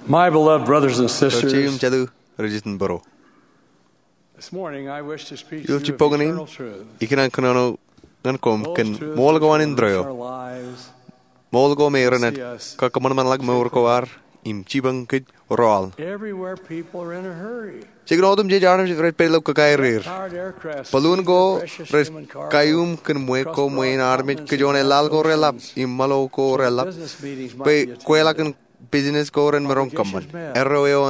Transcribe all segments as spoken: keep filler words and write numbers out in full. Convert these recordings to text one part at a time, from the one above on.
My beloved brothers and sisters, Ro jeiū im jatū, rijitōnbōro. This morning I wish to speak to Ilo you of jibboñōn in, eternal truth. Ikōṇaan kōnono ñan koṃ kōn ṃool ko an indeeo. Ṃool ko me ren kakkōṃanṃanḷọk mour ko ad im jipañ kōj ro aḷ. Everywhere people are in a hurry. Jikin otemjej armej rej pād ilo kōkairir. Balloon ko rej kaiuṃ kōn ṃweo ko ṃwein armej, kōj oṇeaḷ ko reḷap im ṃōḷo ko reḷap bwe kweilọk in business ko ren maroñ kōṃṃan. Erro eo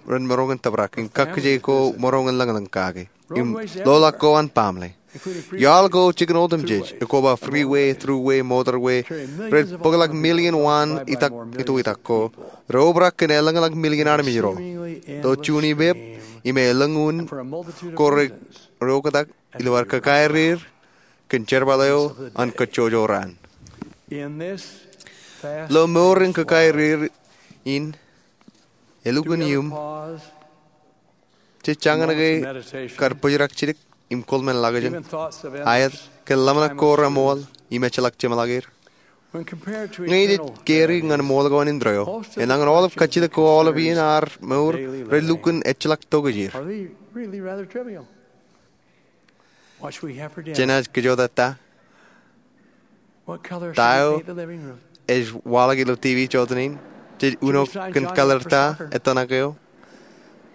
ren maroñ in tōprak, im kakkije ko maroñ in lōñlōñ kake, im loḷọk ko an baaṃle. Iaḷ ko jikin otemjej, ekwe ba freeway, thruway, motorway, rej bōkḷọk million waan itak itoitak ko, rej obrak kōn elōñḷọk million armej ro. Ilo juon ippān, im elōñ unin ko rej oktak ilo ad kōkairir kōn jerbal eo an kōjjojo raan. Ilo mour in kōkairir in, elukkuun iuṃ, jej jañin ke kar bōjrak jidik im kōḷmānḷọkjeṇ, aet, kōn ḷōmṇak ko reṃool im ejjeḷọk jeṃḷọk er. Ñe jej carry ñan ṃool ko an indeeo, enañin aolep kajjitōk ko aolep iien ad mour, rej lukkuun ejjeḷọk tokjāer. Jenaaj kōjota ta? Ta eo ej waḷọk ilo TV jọteen in? Jej uno kōn color ta ettōṇak eo?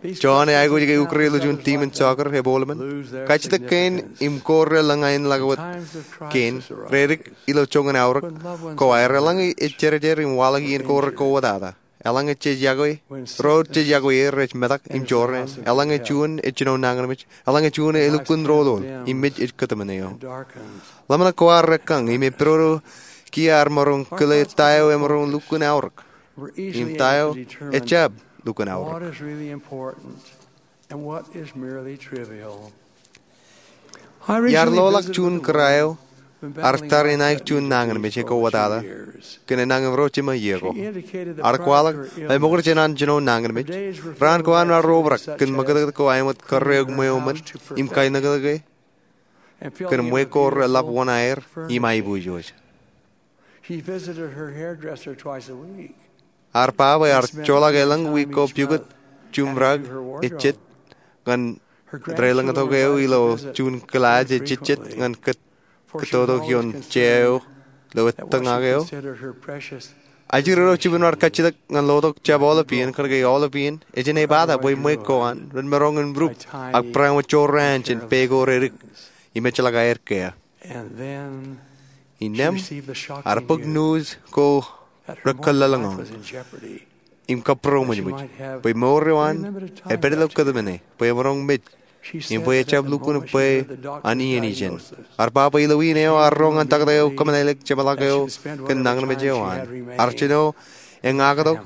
Jọọn ej aikuj ke ukōrā ilo juon team in soccer ebooḷ ṃōn. Kajjitōk kein im ko relōñ aenḷọk wōt kein, redik ilo joñan aorōk ko aer. Eḷaññe ej jerjer im waḷọk iien ko rekowōtata, eḷaññe jej yokwe, ro jej yokwe er rej metak im jorrāān. Eḷaññe juon ej jino nañinmej, eḷaññe juon elukkuun roḷoḷ, im mej ej kōtmāne eo. Ḷōmṇak ko ad rekkañ im epidodo kiiō ad maroñ kile ta eo emaroñ lukkuun aorōk, im ta eo ejjab lukkuun aorōk. Iar loḷọk juon kōrā eo ear tar in aikuj juon nañinmej ekowōtata kōn enañin ro jiṃa iiō ko. Ear kwaḷọk bwe ṃokta jān an jino nañinmej, raan ko an ear obrak kōn ṃakūtkūt ko aemot karreoik ṃweo ṃōn im kainōknōke kōn ṃweo ko reḷap wōṇāer im aiboojoj. Ear ba bwe ear joḷọk elōñ wiik ko pukot jumrak ejjet ñan deḷọñtok eo ilo juon kilaaj ejejjet ñan kōttoto ioon jea eo ilo ettōñak eo. Ajri ro jibwin bar kajjitōk ñan lotok jab aolep iien, kōnke aolep iien ejān ebata bwe ṃweo ko an ren maroñ in rup ak barāinwōt jorrāān jān pā ko redik im ejjeḷọk aer kea. Innām ear bōk news ko rekōllelōñ im kabūroṃōjṃōj bwe mour eo an epād ilo kōtmāne bwe emaroñ mej im bwe ejjab lukkuun bwe an iien ijin. Ear ba bwe ilo iien eo ear roñ an taktō eo kōmeḷeḷeik jeṃḷọk eo kōn nañinmej eo an. Ear jino eñaktok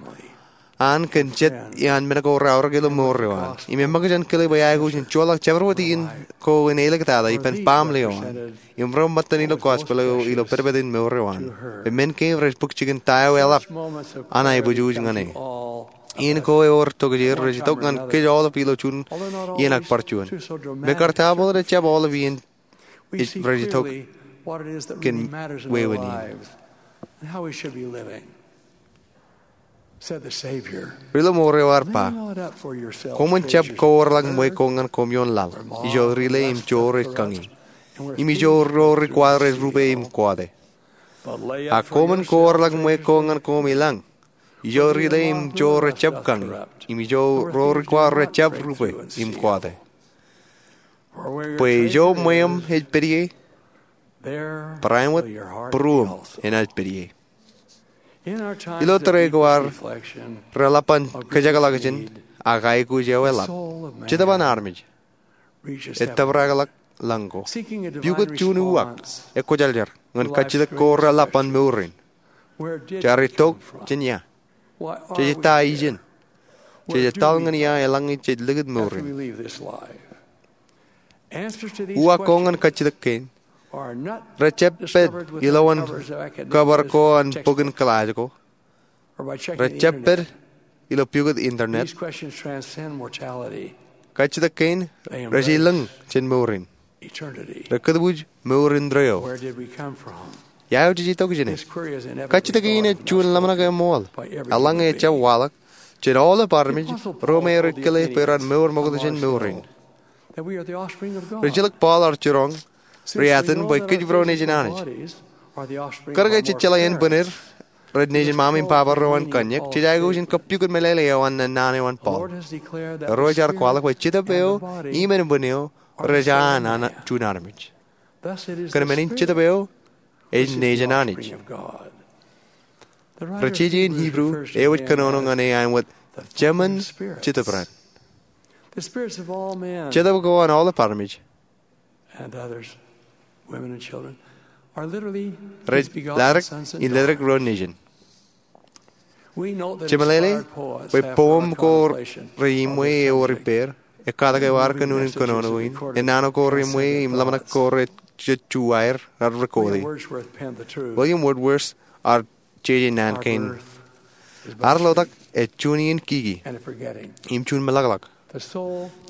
an kōn jet iaan men ko reaorōk ilo mour eo an. Im eṃōkaj in kile bwe aikuj in joḷọk jabdewōt iien ko in āliktata ippān baaṃle eo an im ro ṃōttan ilo gospel eo ilo pedped in mour eo an. Bwe men kein rej bōk jikin ta eo eḷap an aiboojoj ñan e. Iien ko ewōr tokjāer rej itok ñan kōj aolep ilo juon iien ak bar juon. Mekarta bōlen ejjab aolep iien rej itok kōn wāween in. Ri-lọmọọr eo ear ba, koṃwin jab kowōrḷọk ṃweo ko ñan koṃ ioon laḷ, ijo rile im joor ej kañi, im ijo ro ri kwaḷ rej rupe im kọọte. Ak koṃwin kowōrḷọk ṃweo ko ñan koṃ i lañ, ijo rile im joor ejjab kañi, im ijo ro ri kwaḷ rejjab rupe im kọọte. Bwe ijo ṃweeṃ ej pād ie, barāinwōt būruōṃ enaaj pād ie. Ilo tōre ko ad reḷap an kōjekḷọkjeṇ ak aikuj eo eḷap, jetōb an armej ej tōprakḷọk lañ ko. Pukot juon uwaak ekwōjarjar ñan kajjitōk ko reḷap an mour in. Jaar itok jān ia? Jej ta ijin? Jej etal ñan ia eḷaññe jej likūt mour in? Uwaak ko ñan kajjitōk kein rejjab pād ilowaan kōbar ko an bok in kilaaj ko. Rejjab pād ilo pukot internet. Kajjitōk kein rej ilōñ jān mour in. Rekōtbuuj mour indeeo. Ia eo jej itok jāne? Kajjitōk in ej juon ḷōmṇak eṃṃool. Eḷaññe ejjab waḷọk jān aolep armej ro me rej kile bwe ren mour ṃokta jān mour in. Rijjelōk Paul ear jiroñ, riatan bwe kōj ro nejin Anij. Kōnke jej jeḷā ānbwinnier rej nejin Ṃaṃa im Baba ro an kanniōk, jej aikuj in kappukot meḷeḷe eo an naan eo an Paul. Irooj ear kwaḷọk bwe jetōb eo im ānbwin eo rej an an juon armej. Kōn men in jetōb eo ej nejin Anij. Ri-jeje in Hibru eo ej kōnono ñan e āinwōt Jemān Jetōb Raṇ. Jetōb ko an aolep armej rej ledik in ledik ro nejin. Jemeḷeḷe bwe poem ko reiṃwe ewōr ippāer, ekkatak eo ear kōnono in, enana ko reiṃwe im ḷōmṇak ko rej juwaer, ear rekodi. William Wordsworth ear jeje naan kein. Ad ḷotak ej juon iien kiki im juon meḷọkḷọk.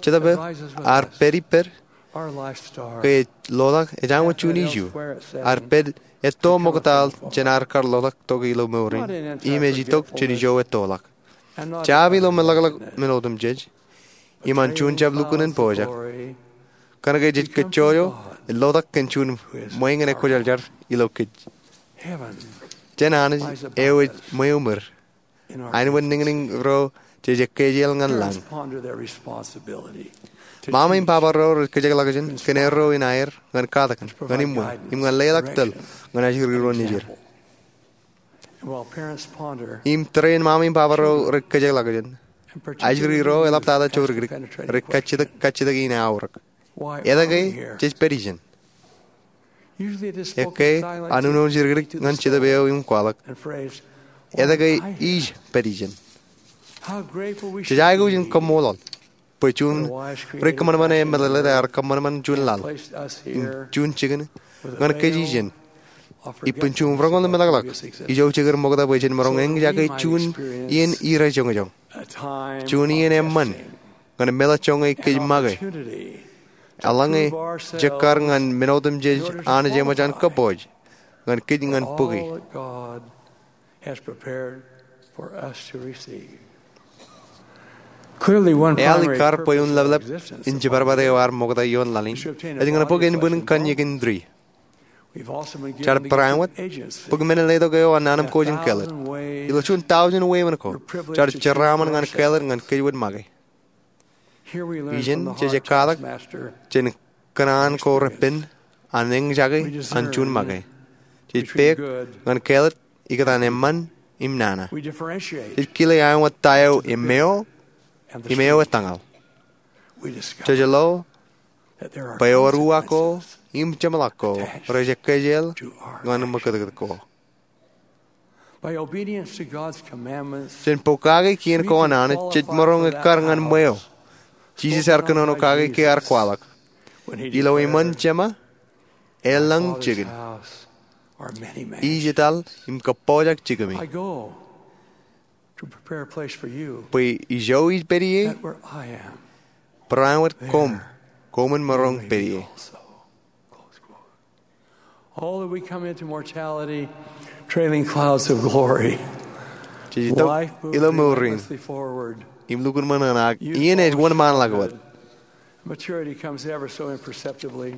Jetōb ear pād ippād ke ej ḷotak ej āinwōt juon iju. Ear pād etto ṃokta jān ad kar ḷotak tok ilo mour in, im ej itok jān ijo ettoḷọk. Jab ilo meḷọkḷọk men otemjej im an juon jab lukkuun in pojak. Kōnke jej kajjojo, ej ḷotak kōn juon ṃweiñin ekwōjarjar ilo kōj. Jān Anij eo ej ṃweo ṃwir, āinwōt niñniñ ro jej ekkejel ñan lañ. Ṃaṃa im baba ro rej kōjekḷọkjeṇ kōn erro in aer ñan katakin, ñan iṃwe, im ñan leḷọk tōl ñan ajri ro nejid. Im tōre in ṃaṃa im baba ro rej kōjekḷọkjeṇ, ajri ro eḷaptata jodikdik, rej kajjitōk kajjitōk in aorōk. Etke jej pād ijeṇ? Ekkā an uno jidikdik ñan jetōb eo im kwaḷọk, etke ij pād ijeṇ? Jej aikuj in kaṃṃoolol bwe juon ri kōṃanṃan emeḷeḷe ear kōṃanṃan juon laḷ im juon jikin ñan kōj ijeṇ. Ippān juon roñoul meḷọkḷọk ijo jekar ṃokta bwe jen maroñ eñjake juon iien irajoñjoñ, juon iien eṃṃan ñan meḷọkjoñe kōj make. Eḷaññe jekkar ñan men otemjej Anij eṃōj an kōpooj ñan kōj ñan bōki. Eaḷ ikkar bwe un leplep in jibadbad eo ear ṃokta ioon laḷ in ej ñan bōk ānbwin kanniōk in tūri. Jaar bareinwōt bōk men letok eo an nañinmej in kāālōt. Ilo juon tọujin weemen ko, jaar jeraaṃṃan ñan kāālōt ñan kōj wōt make. Ijeṇ jej katak jān kōṇaan ko repen an eñjake an juon make. Jej peek ñan kāālōt ikōtaan eṃṃan im nana. Jej kile āinwōt ta eo eṃṃeo im eo etañal. Jej lo bwe ewōr uwaak ko im jeṃḷọk ko rej ekkejel ñan ṃakūtkūt ko. Jān pokake kien ko an Anij jej maroñ ekkar ñan ṃweo. Jisōs ear kōnono kake ke ear kwaḷọk, ilo iṃaan Jema elōñ jikin. Ij etal im kōppojak jikimi, bwe ijo ij pād ie, bareinwōt koṃ, koṃwin maroñ pād ie. All that we come into mortality, trailing clouds of glory. Jej itok ilo mour in im lukkuun ṃōṇōṇō, ak iien ej wōnṃaanḷọk wōt. Maturity comes ever so imperceptibly.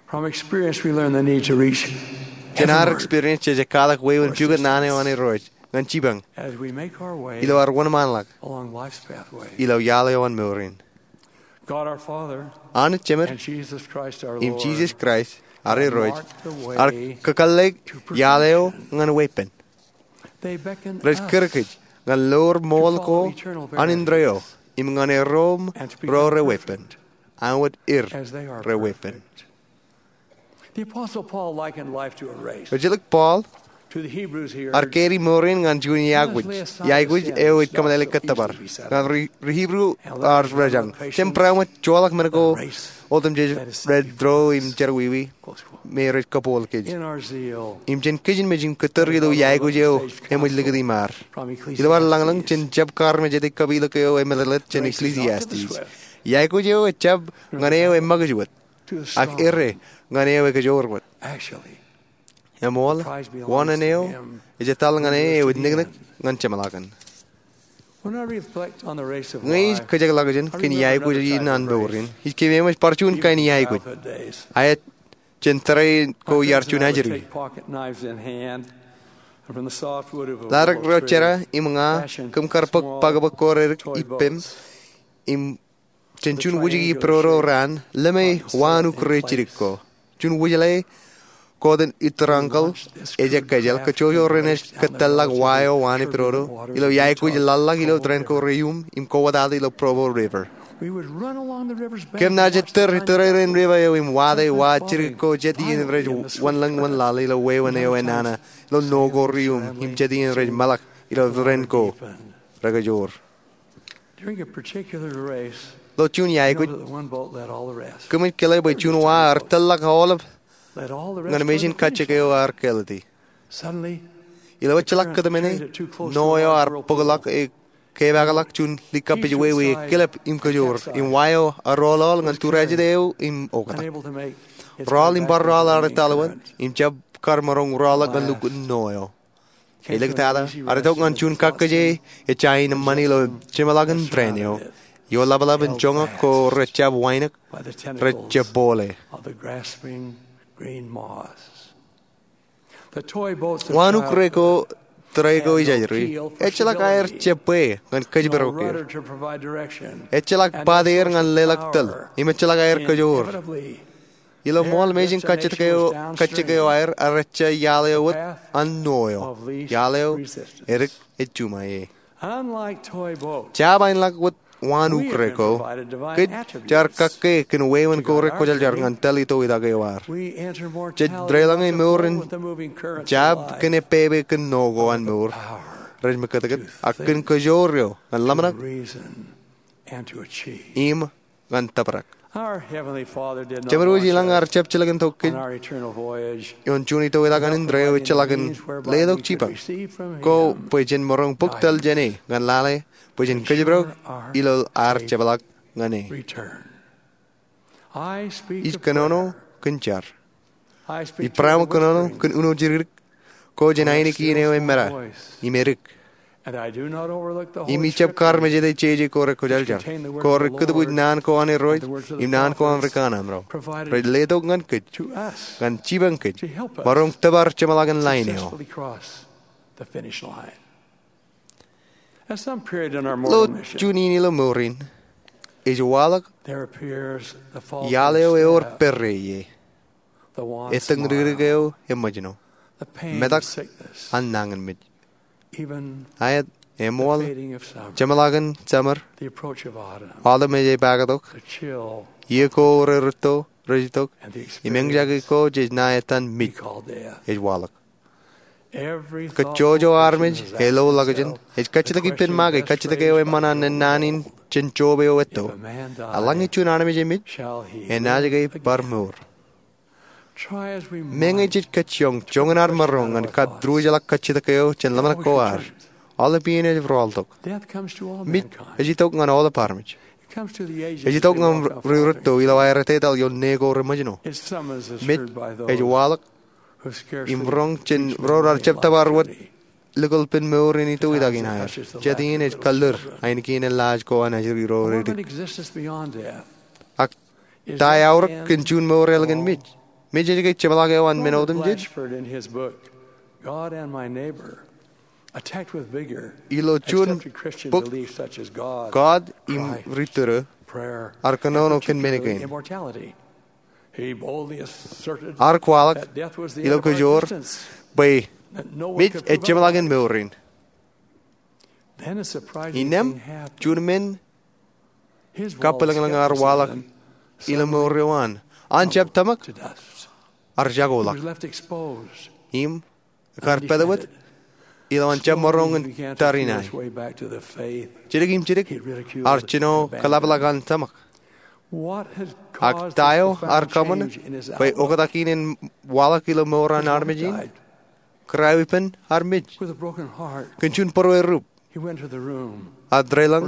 From experience, we learn the need to reach heavenward. Jān ad experience jej katak wāween pukot naan eo an Irooj ñan jipañ as we make our way ilo ad wōnṃaanḷọk along life's pathway. Ilo iaḷ eo an mour in. God our Father Anij Jemed and Jesus Christ our im Lord Jisōs Kraist ad Irooj marked the way ar kakōḷḷe iaḷ eo ñan weeppān. They beckon us. Rej kūr kōj ñan lor ṃool ko an indeeo im ñan erom ro reweeppān, āinwōt er reweeppān. The Apostle Paul likened life to a race. Rijjelōk Paul ar keri mour in ñan juon iaikuj, iaikuj eo ej kōmeḷeḷe kōttōpar. Ñan ri, ri Hibru ear rejañ, jab bareinwōt joḷọk men ko otemjej rej dro im jerọwiwi me rej kabooḷ kōj. Im jān kōj in mej in kōttar ilo iaikuj eo eṃōj likūt iṃaar. Ilo ad lañlōñ jān jab kaarmejāde kapilōk eo emeḷeḷe jān Ecclesiastes, iaikuj eo ejjab ñan eo emakūj wōt, ak errā ñan eo ekajoor wōt. Actually, Eṃool, wōṇāān eo ej etal ñan e eo ej niknik ñan jeṃḷọkin. Ñe ij kōjekḷọk jān kōn iaikuj in an mour in, ij keememej bar juon kain iaikuj. Aet, jān tōre ko iar juon ajri. Ḷaddik ro jera im ña kōm kar bōk bōkbōk ko redik ippem im jān juon wūjiki ippān raan, lōme waanuk rejidik ko. Juon wūjḷe, kōttan ittōrañkōḷ ej ekkejel, kōjjojo renaaj kōttāḷọk wa eo waan ippān, ilo iaikuj ḷaḷḷọk ilo tōren ko reium im kowōtata ilo Provo River. Kōm naaj ettōr tōre rein river eo im wate wa jidik ko jet iien rej wōnḷōñ wōnlaḷ ilo wāween eo enana ilo ṇo ko reium im jet iien rej meḷọk ilo tōren ko rekajoor. Ilo juon iaikuj, kōmij kile bwe juon wa ear tōlḷọk aolep ñan mejān kajjik eo ear kāālōt e. Ilo ejjeḷọk kōtmāne, ṇo eo ear bōkḷọk e kepaakḷọk juon likappiwāween ekilep im kōjoor, im wa eo ear ḷoḷḷọk ñan tūrajid eo im oktak. Rọọl im bar rọọl ear etal wōt, im jab kar maroñ rọọl ñan lukkuun ṇo eo. Āliktata, ear itok ñan juon kakkije ej jañin eṃṃan ilo jeṃḷọkin tōren eo. Ioḷapḷap in joñak ko rejjab wānōk, rejjab bōle. Waanuk reko tōre ko ej ajri, ejjeḷọk aer jebwe ñan kōjparok er. Ejjeḷọk bate er ñan leḷọk tōl, im ejjeḷọk aer kōjoor. Ilo ṃool mejān kajjik eo, kajjik eo aer, ear ejja iaḷ eo wōt an ṇo eo. Iaḷ eo edik ej juṃae. Jab āinḷọk wōt waanuk reko, kōj jaar kakke kōn wāween ko rekwōjarjar ñan tōl itoitak eo ad. Jej deḷọñe mour in jab kōn epepe kōn ṇo ko an mour rej mekkōtkōt, ak kōn kōjoor eo ñan ḷōmṇak im ñan tōprak. Jemedwōj ilañ ear jab jilkintok kōj ioon juon itoitak an indeeo ejjeḷọkin letok jipañ ko bwe jen maroñ bōk tōl jāne ñan lale bwe jen kōjparok ilo ad jeṃḷọk ñan e. Ij kōnono kōn jar. Ij barāinwōt kōnono kōn uno jidikdik ko jān ainikien eo emōj im edik. Im ij jab karmejede jeje ko rekwōjarjar, ko rekūtbuuj naan ko an Irooj im naan ko an ri kanaan ro rej letok ñan kōj, ñan jipañ kōj, maroñ tōpar jeṃḷọkin lain eo. Ilo juon in ilo mour in, ej waḷọk iaḷ eo ewōr pere ie. Ettōñ dikdik eo eṃōjṇọ. Metak an nañinmej. Aet, eṃool, jeṃḷọkin summer, aolep mej ej paaktok, iiō ko rerūtto rej itok, im eñjake ko jej ṇa etan mij ej waḷọk. Kōjjojo armej ej lo ḷọkjeṇ, ej kajjitōk ippān make, kajjitōk eo eṃṃan an ennaan in jān Job eo etto. Eḷaññe juon armej emej, enaaj ke bar mour? Meñe jej kajjioñ joñan ad maroñ ñan kab diwōjḷọk kajjitōk eo jān ḷōmṇak ko ad, aolep iien ej rọọltok. Mij ej itok ñan aolep armej. Ej itok ñan ri rūtto ilo aer etetal ioon ṇe ko reṃōjṇọ. Mij ej waḷọk im roñ jān ro raar jab tōpar wōt likolpen mour in itoitak in aer. Jet iien ej kallid ainikien laaj ko an ajri ro redik. Ak ta eaorōk kōn juon mour ālikin mij? Mij ej ke jeṃḷọk eo an men otemjej? Ilo juon bok, God im Ri Tudu ear kōnono kōn men kein. Ear kwaḷọk ilo kōjoor bwe mij ej jeṃḷọkin mour in. Innām, juon men kabwilōñlōñ ear waḷọk ilo mour eo an. An jab tōmak, ear jakoḷọk im kar pād wōt ilo an jab maroñ in tariṇae. Jidik im jidik, ear jino kōḷapḷọk an tōmak. Ak ta eo ear kōṃṃan bwe oktak in en waḷọk ilo mour an armej in? Kōrā ippān armej kōn juon būruerrup. Ear deḷọñ,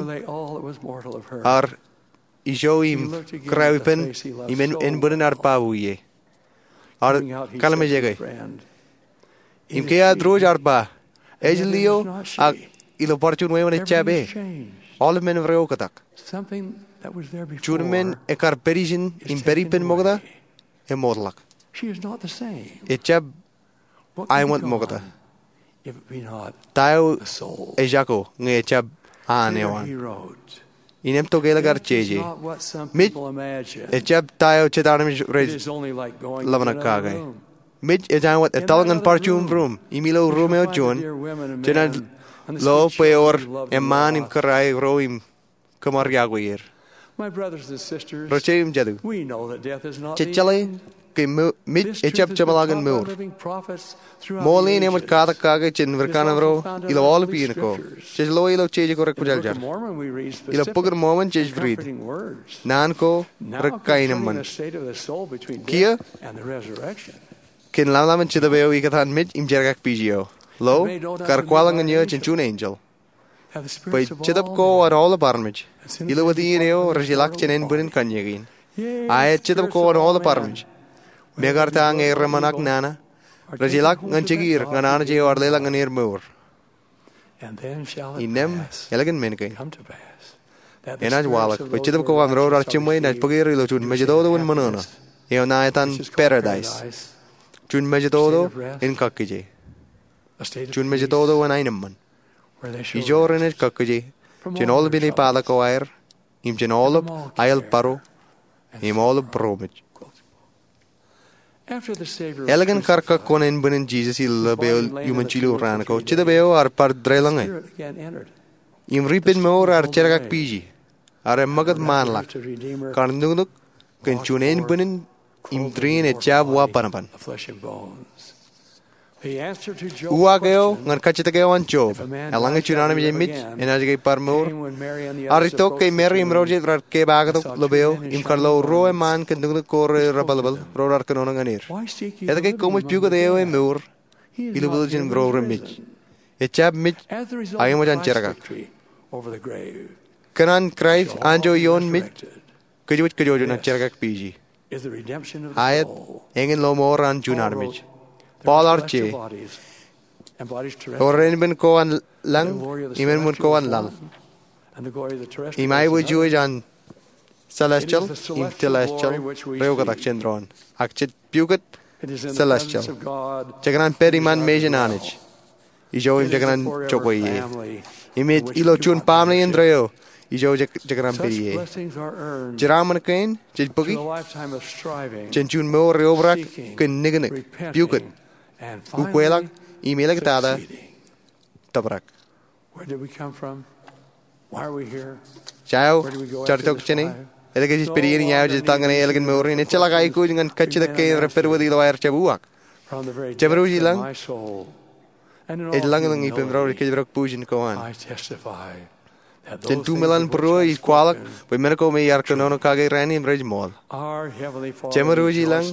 ear ijo im kōrā ippān im ānbwinnin ear babu ie. Ear kalimjeke. Im ke ad ruo ear ba, ej lio, ak ilo bar juon wāween ejjab e. Aolep men eo reoktak. Juon men ekar pād ijin im pād ippān ṃokta, emootḷọk. Ejjab aemwōt ṃokta. Ta eo ejako ñe ejjab an eo an? Innām tok ālikin jeje. Mej ejjab ta eo jet armej rej ḷōmṇak kake. Mej ej aemwōt etal ñan bar juon ruum, im ilo ruum eo juon, jenaaj lo bwe ewōr eṃṃaan im kōrā ro im kōṃṃan iọkwe er. Ri-jeje im jatū, jej jeḷā ke mej ejjab jeṃḷọkin mour. Ṃool in eṃōj katak kake jān ri-kanaan ro ilo aolep iien ko. Jej lo ilo jeje ko rekwōjarjar. Ilo Bok in Mormon jej riit, naan ko rej kaenōṃṃan. Kiiō, kōn ḷōmṇak in Jetōb eo ikōtaan mej im jerkakpeje eo, lo, kar kwaḷọk ñan eō jān juon enjeḷ, bwe Jetōb ko an aolep armej ilo wōt iien eo rej ilọk jān ānbwinnin kanniōk in. Ak Jetōb ko an aolep armej, mekarta ñe reṃōṇak nana, rej ilọk ñan jikier ñan Anij eo ear leḷọk ñan er mour. Innām ālikin men kein enaaj waḷọk bwe Jetōb ko an ro raar jiṃwe enaaj bōk er ilo juon mejatoto in ṃōṇōṇō eo ṇa etan paradais. Juon mejatoto in kakkije. Juon mejatoto in aenōṃṃan. Ijo renaaj kakkije jān aolep inepata ko aer, im jān aolep aelparo, im aolep būroṃōj. Ālikin kar kọkkure ānbwinnin Jisōs ilo ḷap eo iuṃwin jilu raan ko, Jetōb eo ear bar deḷọñe. Im ri-ippān mour ear jerkakpeje, ear eṃṃakūt ṃaanḷọk, kar nuknuk kōn juon ānbwinnin im tūriin ejjab wa bōnbōn. Uwaak eo ñan kajjitōk eo an Job, eḷaññe juon armej emmej enaaj ke bar mour, ear itok ke Meri im ro jet raar kepaaktok ḷap eo im kar lo ruo eṃṃaan kōn nuknuk ko rej ri-bōlbōl ro raar kōnono ñan er. Etke koṃij pukot eo e mour ilo pālele jān ro remej? Ejjab mej, ak eṃōj an jerkak. Kōn an Kraist anjọ ioon mej, kōjwōj kōjwōj enaaj jerkakpeje. Aet, eñin lo mour an juon armej. Paul ear je, ewōr ānbwin ko an lañ, im ānbwin ko an laḷ, im aiboojoj an celestial im telestial reoktak jān doon. Ak jej pukot celestial. Jekōṇaan pād iṃaan mejān Anij. Ijo im jekōṇaan jokwe ie. Im ej ilo juon baaṃle indeeo ijo jekōṇaan pād ie. Jeraaṃṃan kein jej bōki jān juon mour eobrak kōn niknik, pukot, ukweḷọk, im āliktata tōprak. Eo jaar itok jāne? Etke jej pād ie? Eo jej etal ñane ālikin mour in? Ejjeḷọk aikuj ñan kajjitōk kein rej pād wōt ilo aer jab uwaak. Jemān wōj i lañ, ej lañlōñ ippān ro rej kōjparok bujen ko an. Jān du meḷan būruō ij kwaḷọk bwe men ko me iar kōnono kake raan in rej ṃool. Jemān wōj i lañ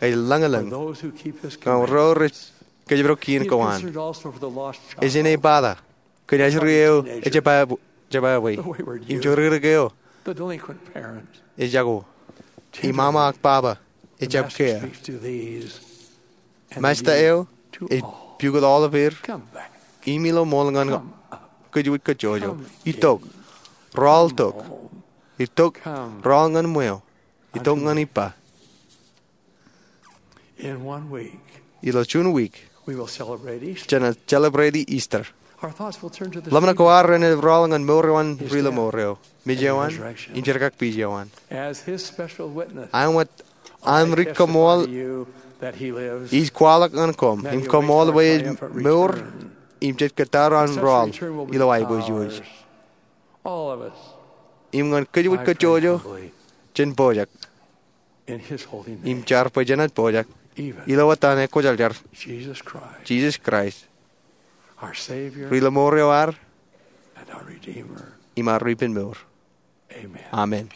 ej lañlōñ ñan ro rej kōjparok kien ko an. Ej inepata kōn ajri eo ejjab aō, im joririk eo ejako, im mama ak baba ejjab kea. Masta eo ej pukot aolep er, im ilo ṃool ñan kōjwōj kōjjojo. Itok, rọọl tok. Itok, rọọl ñan ṃweo. Itok ñan ippa. Ilo juon wiik jenaaj celebrate Easter. Ḷōmṇak ko ad renaaj rọọl ñan mour eo an ri-lọmọọr eo, mej eo an, im jerkakpeje eo an. Aṃ wōt aṃ ri-kaṃṃool ij kwaḷọk ñan koṃ im kaṃṃool bwe ej mour im jej kōttar an rọọl ilo aiboojoj im ñan kōjwōj kōjjojo jān pojak im jar bwe jenaaj pojak ilo etan ekwōjarjar, Jisōs Kraist, ri-lọmọọr eo ad im ad ri-ippān mour. Amen.